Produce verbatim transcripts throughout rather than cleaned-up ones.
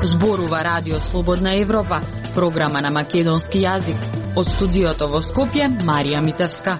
Зборува Радио Слободна Европа, програма на македонски јазик. Од студиото во Скопје, Марија Митевска.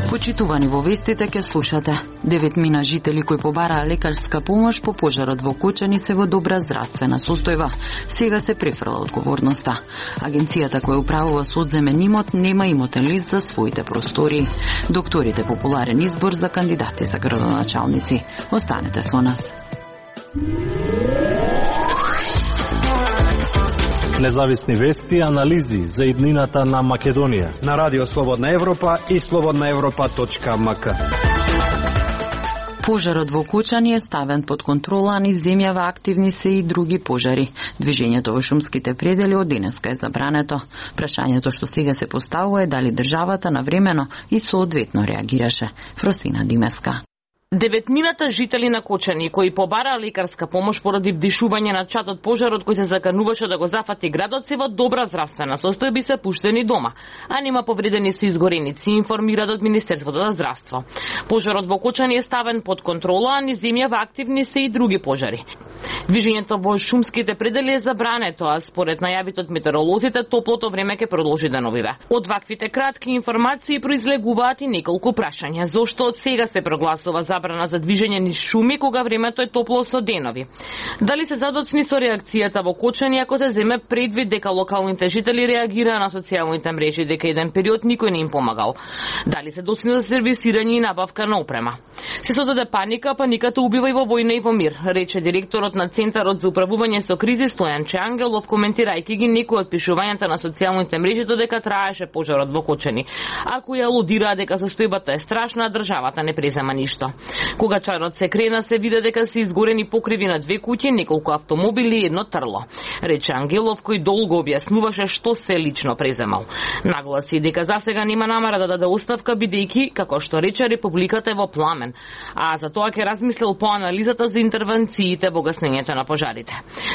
Почитувани, во вестите ке слушате. Деветмина жители кои побараа лекарска помош по пожарот во Кочани се во добра здравствена состојба. Сега се префрла одговорноста. Агенцијата која управува со одземен имот нема имотен лист за своите простори. Докторите популарен избор за кандидати за градоначалници. Останете со нас. Независни вести и анализи за иднината на Македонија на Радио Слободна Европа и слободна европа точка ем ка. Пожарот во Кочани е ставен под контрола, а низ земјава активни се и други пожари. Движењето во шумските предели од денеска е забрането. Прашањето што сега се поставува е дали државата навремено и соодветно реагираше. Фросина Димеска. Деветмината жители на Кочани кои побараа лекарска помош поради вдишување на чад од пожарот кој се закануваше да го зафати градот се во добра здравствена состојба и се пуштени дома, а нема повредени со изгореници, информираат од Министерството за здравство. Пожарот во Кочани е ставен под контрола, а низ земјава активни се и други пожари. Движењето во шумските предели е забрането, а според најавите од метеоролозите топлото време ќе продолжи да новиве. Од ваквите кратки информации произлегуваат и неколку прашања. Зошто од сега се прогласува забрана за движење низ шуми кога времето е топло со денови? Дали се задоцни со реакцијата во Кочани ако се земе предвид дека локалните жители реагираа на социјалните мрежи дека еден период никој не им помагал? Дали се доцни за сервисирање и набавка на опрема? Се создаде паника, паниката убива и во војна и во мир, рече директорот на Центарот за управување со кризи Стојан Чангелов, коментирајќи ги некои од пишувањата на социјалните мрежи додека траеше пожарот во Кочани. Ако ја алудираа дека состојбата е страшна, државата не презема ништо. Кога чарот се крена, се виде дека се изгорени покриви на две куќи, неколку автомобили и едно трло. Рече Ангелов, кој долго објаснуваше што се лично преземал. Нагласи дека засега нема намера да даде оставка, бидејќи, како што рече, републиката е во пламен, а за тоа ќе размислил по анализата за интервенциите во гаснењето на пожарите.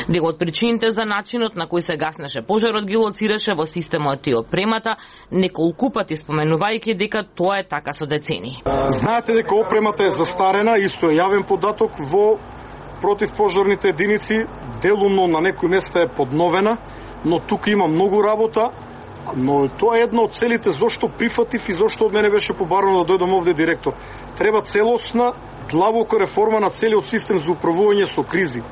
Дел од причините за начинот на кој се гаснеше пожарот ги лоцираше во системот и опремата, неколку пати споменувајќи дека тоа е така со децени. Знаете дека опремата е застарена, исто е јавен податок во противпожарните единици, делумно на некои места е подновена, но тука има многу работа, но тоа е една од целите зошто прифатив и зошто од мене беше побарано да дојдам овде директор. Треба целосна, длабока реформа на целиот систем за управување со кризи.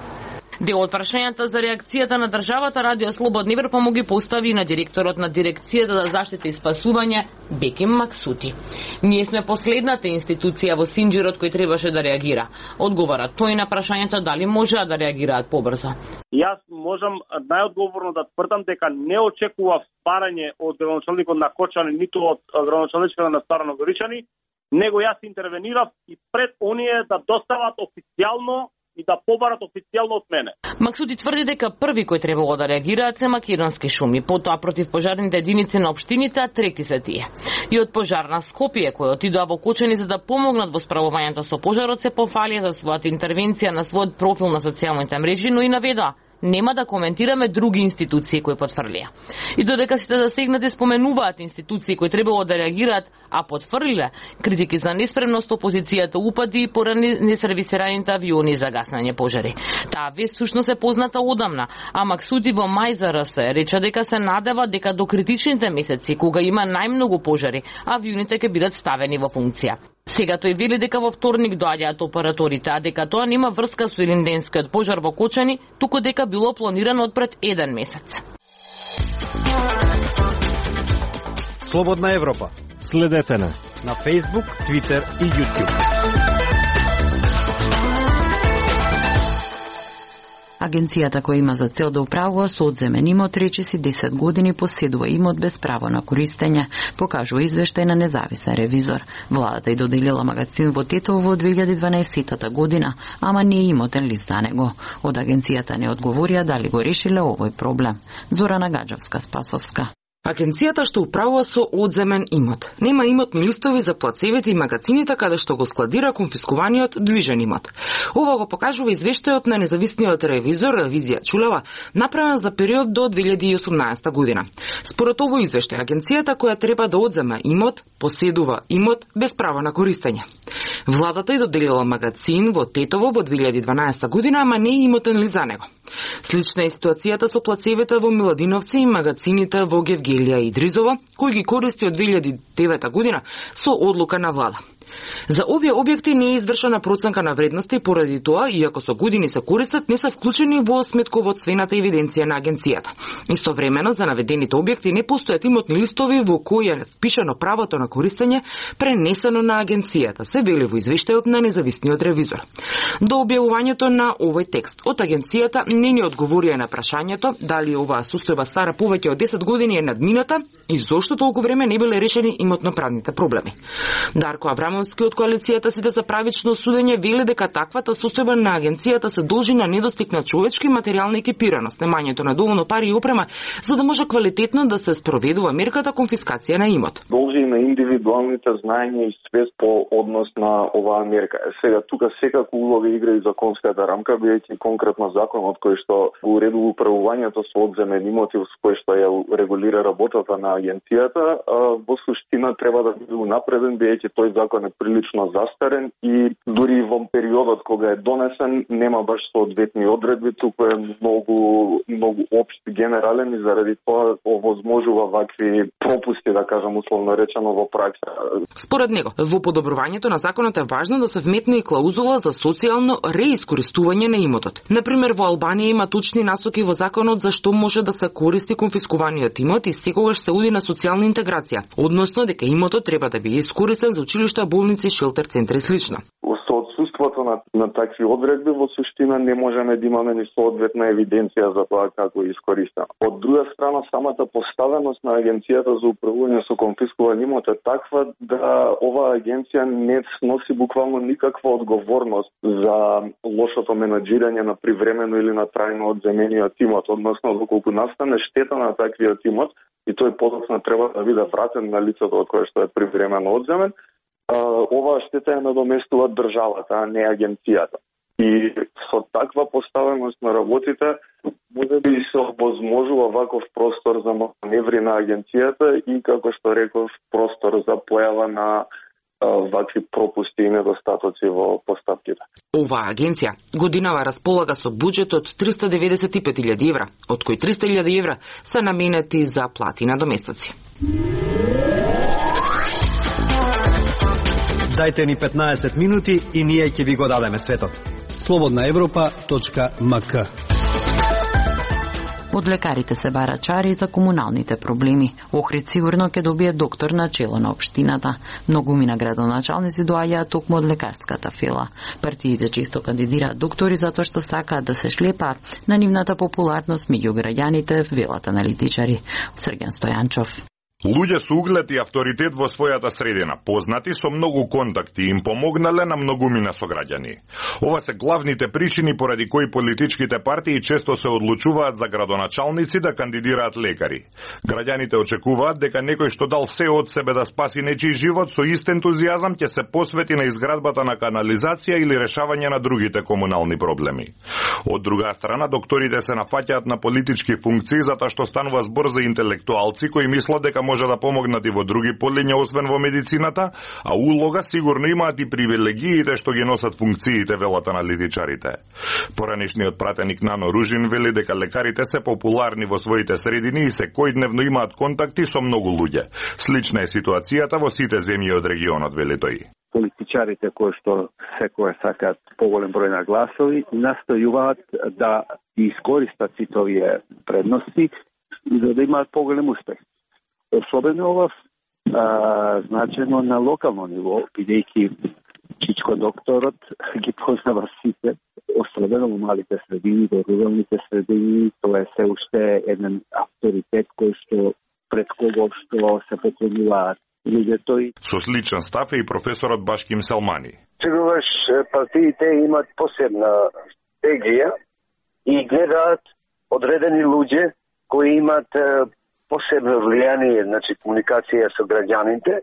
Дел од прашањата за реакцијата на државата Радио Слободна Европа му ги постави на директорот на дирекцијата за заштита и спасување Беким Максути. Ние сме последната институција во Синџирот кој требаше да реагира. Одговара тој на прашањето дали можеа да реагираат побрзо. Јас можам најодговорно да тврдам дека не очекував барање од градоначалникот на Кочани, ниту од градоначалникот на Старо Горичани, него јас интервенирав и пред оние да достават официјално и да побарат официјално од мене. Максути тврди дека први кој требало да реагираат се македонски шуми, потоа против пожарните единици на општините, а трети се тие. И од пожар на Скопје, кој отидоа во Кочани за да помогнат во справувањето со пожарот, се пофалија за својата интервенција на својот профил на социјалните мрежи, но и наведоа нема да коментираме други институции кои потврлија. И додека сите засегнати споменуваат институции кои требало да реагираат, а потврлиле критики за неспремност, опозицијата упади поради несервисираните авиони за гаснење пожари. Таа вест сушност е позната одамна, а Максути во мај за РС рече дека се надева дека до критичните месеци, кога има најмногу пожари, авионите ќе бидат ставени во функција. Сега тој вели дека во вторник доаѓаат операторите, а дека тоа нема врска со илинденскиот пожар во Кочани, туку дека било планирано од пред еден месец. Слободна Европа. Следете на на Facebook, Twitter и YouTube. Агенцијата која има за цел да управува со одземен имот речиси десет години поседува имот без право на користење, покажува извештај на независен ревизор. Владата и доделила магазин во Тетово во две илјади и дванаесетта година, ама не е имотен лист за него. Од агенцијата не одговорија дали го решиле овој проблем. Зорана Гаджевска, Спасовска. Агенцијата што управува со одземен имот. Нема имотни листови за плацевите и магазините каде што го складира конфискуваниот движен имот. Ова го покажува извештајот на независниот ревизор Ревизија Чулева, направен за период до две илјади и осумнаесета година. Според овој извештај, агенцијата која треба да одзема имот, поседува имот без право на користење. Владата ја доделила магазин во Тетово во две илјади и дванаесета година, ама не е имотен ли за него. Слична е ситуацијата со плацевите во Миладиновци и магазините во Гевгелија и Дризово, кои ги користи од две илјади и девета година со одлука на влада. За овие објекти не е извршена проценка на вредности и поради тоа, иако со години се користат, не се вклучени во сметководствената евиденција на агенцијата. Истовремено, за наведените објекти не постојат имотни листови во кои е впишано правото на користење пренесено на агенцијата, се вели во извештајот на независниот ревизор. До објавувањето на овој текст од агенцијата не ни одговорија на прашањето дали оваа состојба стара повеќе од десет години е надмината и зошто толку време не биле решени имотно-правните проблеми. Дарко Абрамовски од коалицијата Сите за правично судење вели дека таквата состојба на агенцијата се должи на недостиг на човечки и материјална екипираност, немањето на доволно пари и опрема за да може квалитетно да се спроведува мерката конфискација на имот. Должи на индивидуалните знаења и свест по однос на оваа мерка. Сега тука секако улога игра и законската рамка, бидејќи конкретно законот кој што го уредува управувањето со одземен имоти, со кој што ја регулира работата на агенцијата, во суштина треба да биде унапреден, бидејќи тој закон е прилично застарен и дури во периодот кога е донесен нема баш соодветни одредби, туку е многу многу општ, генерален и заради тоа овозможува вакви пропусти, да кажам условно речено, во пракса. Според него, во подобрувањето на законот е важно да се вметне и клаузула за социјално реискористување на имотот. Например, во Албанија има точни насоки во законот за што може да се користи конфискуваниот имот и секогаш се уди на социјална интеграција, односно дека имотот треба да биде искористен за училишта, болници, шелтер центри и слично. Со отсуството на, на такви одредби во суштина не можеме да имаме ни соодветна евиденција за тоа како е искористена. Од друга страна, самата поставеност на агенцијата за управување со конфискуван имот е таква да оваа агенција не сноси буквално никаква одговорност за лошото менаџирање на привремено или на трајно одземениот имот, односно доколку настане штета на таквиот имот и тој подоцна треба да биде вратен на лицето од кое што е привремено одземен, оваа штета ја надоместува државата, а не агенцијата. И со таква поставеност на работите, може би се овозможува ваков простор за маневри на агенцијата и, како што реков, простор за појава на вакви пропусти и недостатоци во постапките. Оваа агенција годинава располага со буџет од триста деветдесет и пет илјади евра, од кои триста илјади евра се наменети за плати на доместоци. Дајте ни петнаесет минути и ние ќе ви го дадеме светот. слободна европа точка ем ка. Од лекарите се бара чари за комуналните проблеми. Охрид сигурно ќе добие доктор на чело на општината. Многумина градоначалници доаѓаат токму од лекарската фила. Партиите често кандидираат доктори затоа што сакаат да се шлепаат на нивната популарност меѓу граѓаните, велат аналитичари. Срген Стојанчов. Луѓе со углед и авторитет во својата средина, познати со многу контакти, им помогнале на многумина сограѓани. Ова се главните причини поради кои политичките партии често се одлучуваат за градоначалници да кандидираат лекари. Граѓаните очекуваат дека некој што дал се од себе да спаси нечиј живот со ист ентузијазам ќе се посвети на изградбата на канализација или решавање на другите комунални проблеми. Од друга страна, докторите се нафаќаат на политички функции затоа што станува збор за интелектуалци кои мислат дека може да помогнат и во други полиња освен во медицината, а улога сигурно имаат и привилегиите што ги носат функциите, велат аналитичарите. Поранешниот пратеник Нано Ружин вели дека лекарите се популарни во своите средини и секојдневно имаат контакти со многу луѓе. Слична е ситуацијата во сите земји од регионот, вели тој. Политичарите кои што секој сакаат поголем број на гласови настојуваат да искористат сите овие предности за да имаат поголем успех. Особено ова значено на локално ниво, бидејќи Чичко докторот ги познава сите, особено во малите средини, во руралните средини, тоа е се уште еден авторитет кој што пред кого што се поклонуваат луѓето. Со сличен став е и професорот Башким Селмани. Сегогаш партиите имат посебна стратегија и гледаат одредени луѓе кои имат посебно влијание, значи комуникација со граѓаните.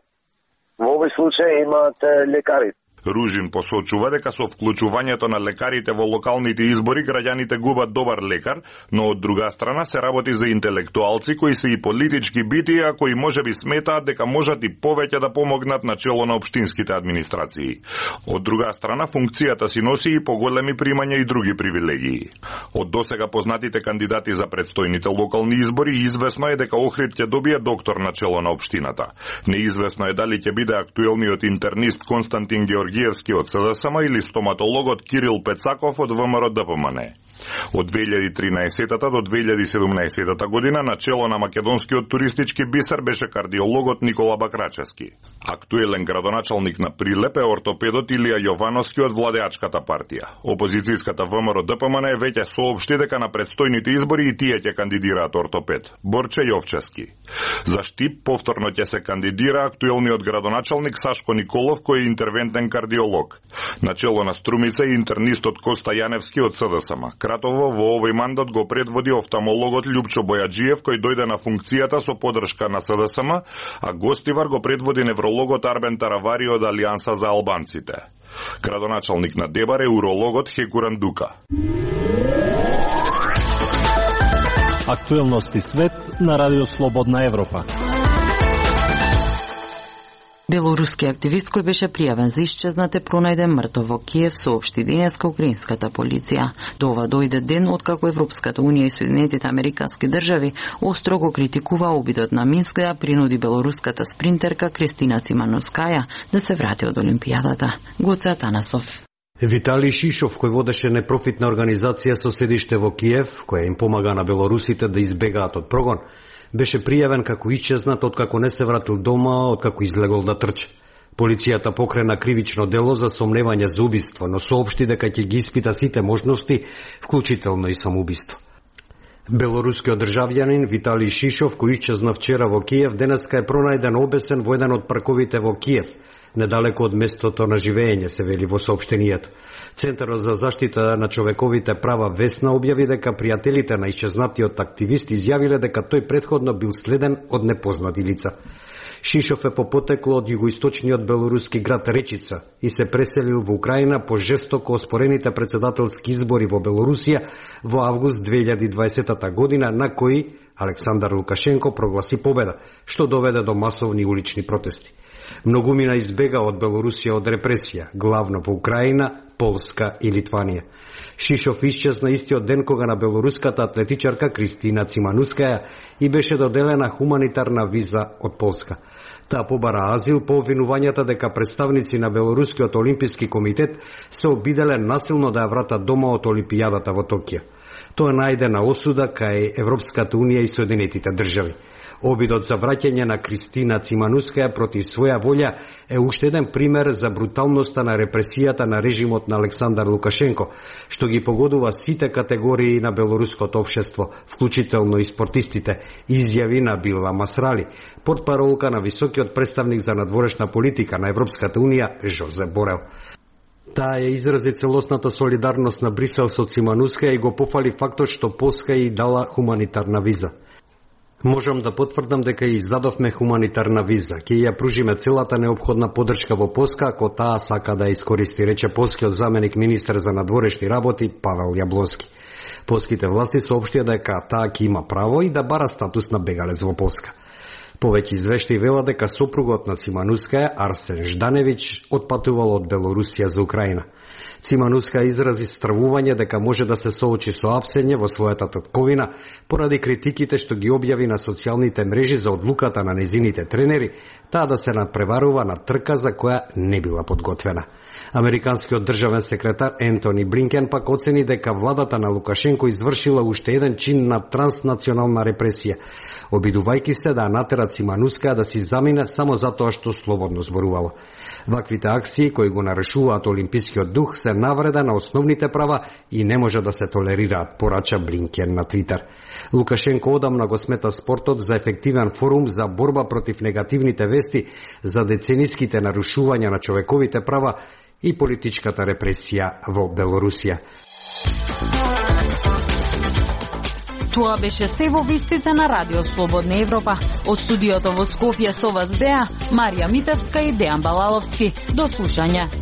Во овој случај имаат лекарите. Ружин посочува дека со вклучувањето на лекарите во локалните избори граѓаните губат добар лекар, но од друга страна се работи за интелектуалци кои се и политички бити, а кои можеби сметаат дека можат и повеќе да помогнат на чело на општинските администрации. Од друга страна функцијата си носи и поголеми примања и други привилегии. Од досега познатите кандидати за предстојните локални избори извесно е дека Охрид ќе добие доктор на чело на општината. Неизвесно е дали ќе биде актуелниот интернист Константин Георгиевски од СДСМ или стоматологот Кирил Пецаков од ВМРО-ДПМН. Од две илјади и тринаесетта до две илјади и седумнаесетта година на чело на македонскиот туристички бисер беше кардиологот Никола Бакрачевски. Актуелен градоначалник на Прилеп е ортопедот Илија Јовановски од владеачката партија. Опозицијската ВМРО-ДПМН е веќе соопшти дека на предстојните избори и тие ќе кандидираат ортопед Борче Јовчевски. За Штип повторно ќе се кандидира актуелниот градоначалник Сашко Николов, кој е интервентен кардиолог. На чело на Струмица е интернистот Коста Јаневски од СДСМ. Кратово во овој мандат го предводи офталмологот Љупчо Бојаджиев, кој дојде на функцијата со подршка на СДСМ, а гостивар го предводи неврологот Арбен Таравари од Алијанса за албанците. Градоначалник на Дебар е урологот Хекуран Дука. Актуелности свет на Радио Слободна Европа. Белоруски активист кој беше пријавен за исчезнат е пронајден мртов во Киев, соопшти денеска украинската полиција. До ова дојде ден откако Европската унија и Соединетите американски држави остро го критикува обидот на Минск да принуди белоруската спринтерка Кристина Цимановскаја да се врати од Олимпијадата. Гоце Атанасов. Виталий Шишов, кој водеше непрофитна организација со седиште во Киев, која им помага на белорусите да избегаат од прогон, беше пријавен како исчезнат откако не се вратил дома, откако излегол да трче. Полицијата покрена кривично дело за сомневање за убиство, но соопшти дека ќе ги испита сите можности, вклучително и самоубиство. Белорускиот државјанин Виталий Шишов, кој исчезна вчера во Киев, денеска е пронајден обесен во еден од парковите во Киев, недалеко од местото на живење, се вели во соопштенијето. Центарот за заштита на човековите права Весна објави дека пријателите на исчезнатиот активист изјавиле дека тој претходно бил следен од непознати лица. Шишов е по потекло од југоисточниот белоруски град Речица и се преселил во Украина по жестоко оспорените председателски избори во Белорусија во август две илјади и дваесетта година, на кои Александар Лукашенко прогласи победа, што доведе до масовни улични протести. Многумина избега од Белорусија од репресија, главно во Украина, Полска и Литванија. Шишов исчезна истиот ден кога на белоруската атлетичарка Кристина Циманускаја и беше доделена хуманитарна виза од Полска. Таа побара азил по обвинувањата дека представници на Белорускиот олимписки комитет се обиделе насилно да ја вратат дома од Олимпијадата во Токио. Тоа најде на осуда кај Европската унија и Соединетите држави. Обидот за враќање на Кристина Циманускаја против своја волја е уште еден пример за бруталноста на репресијата на режимот на Александар Лукашенко, што ги погодува сите категории на белоруското општество, вклучително и спортистите, изјави на Била Масрали, портпаролка на високиот представник за надворешна политика на Европската унија Жозеп Борел. Таа ја изрази целосната солидарност на Брисел со Циманускаја и го пофали фактот што Полска и дала хуманитарна виза. Можам да потврдам дека ја издадовме хуманитарна виза. Ќе ја пружиме целата неопходна поддршка во Полска ако таа сака да искористи, рече полскиот заменик министер за надворешни работи Павел Јаблонски. Полските власти соопштија дека таа ќе има право и да бара статус на бегалец во Полска. Повеќе извештаи вела дека сопругот на Циманускаја, Арсен Жданевич, отпатувал од Белорусија за Украина. Цимануска изрази стравување дека може да се соочи со апсење во својата татковина поради критиките што ги објави на социјалните мрежи за одлуката на незините тренери, таа да се надпреварува на трка за која не била подготвена. Американскиот државен секретар Ентони Блинкен пак оцени дека владата на Лукашенко извршила уште еден чин на транснационална репресија, обидувајќи се да натера Цимануска да си замине само затоа што слободно зборувала. Ваквите акции кои го нарушуваат олимпискиот дух се навреда на основните права и не може да се толерираат, порача Блинкен на Твитер. Лукашенко одамна го смета спортот за ефективен форум за борба против негативните вести за децениските нарушувања на човековите права и политичката репресија во Белорусија. Тоа беше се во вестите на Радио Слободна Европа. Од студиото во Скопје со вас беа Марија Митевска и Дејан Балаловски. До слушање.